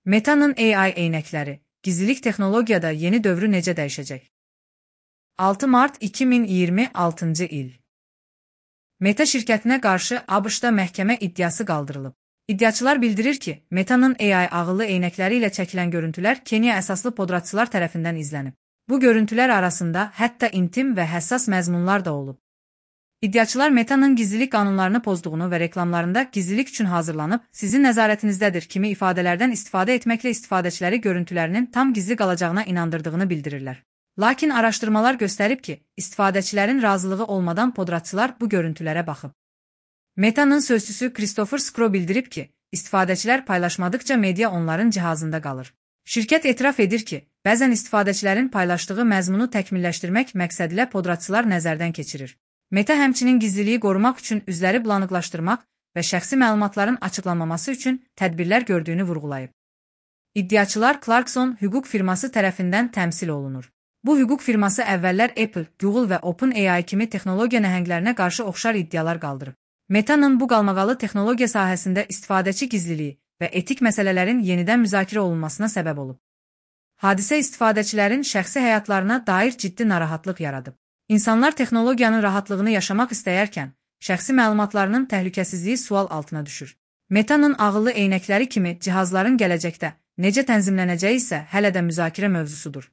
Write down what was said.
Meta'nın AI eynəkləri, gizlilik texnologiyada yeni dövrü necə dəyişəcək? 6 mart 2026-cı il. Meta şirkətinə qarşı ABŞ-da məhkəmə iddiası qaldırılıb. İddiaçılar bildirir ki, Meta'nın AI ağıllı eynəkləri ilə çəkilən görüntülər Kenya əsaslı podratçılar tərəfindən izlənib. Bu görüntülər arasında hətta intim və həssas məzmunlar da olub. İddiaçılar Meta'nın gizlilik qanunlarını pozduğunu və reklamlarında gizlilik üçün hazırlanıb, sizin nəzarətinizdədir kimi ifadələrdən istifadə etməklə istifadəçiləri görüntülərinin tam gizli qalacağına inandırdığını bildirirlər. Lakin araşdırmalar göstərib ki, istifadəçilərin razılığı olmadan podratçılar bu görüntülərə baxıb. Meta'nın sözçüsü Christopher Skro bildirib ki, istifadəçilər paylaşmadıkca media onların cihazında qalır. Şirkət etiraf edir ki, bəzən istifadəçilərin paylaşdığı məzmunu təkmilləşdirmək məqsədilə podratçılar nəzərdən keçirir. Meta həmçinin gizliliyi qorumaq üçün üzləri bulanıqlaşdırmaq və şəxsi məlumatların açıqlanmaması üçün tədbirlər gördüyünü vurğulayıb. İddiaçılar Clarkson hüquq firması tərəfindən təmsil olunur. Bu hüquq firması əvvəllər Apple, Google və OpenAI kimi texnologiya nəhənglərinə qarşı oxşar iddialar qaldırıb. Meta'nın bu qalmaqalı texnologiya sahəsində istifadəçi gizliliyi və etik məsələlərin yenidən müzakirə olunmasına səbəb olub. Hadisə istifadəçilərin şəxsi həyatlarına dair ciddi narahatlıq yaradıb. İnsanlar texnologiyanın rahatlığını yaşamaq istəyərkən, şəxsi məlumatlarının təhlükəsizliyi sual altına düşür. Meta'nın ağıllı eynəkləri kimi cihazların gələcəkdə necə tənzimlənəcəyi isə hələ də müzakirə mövzusudur.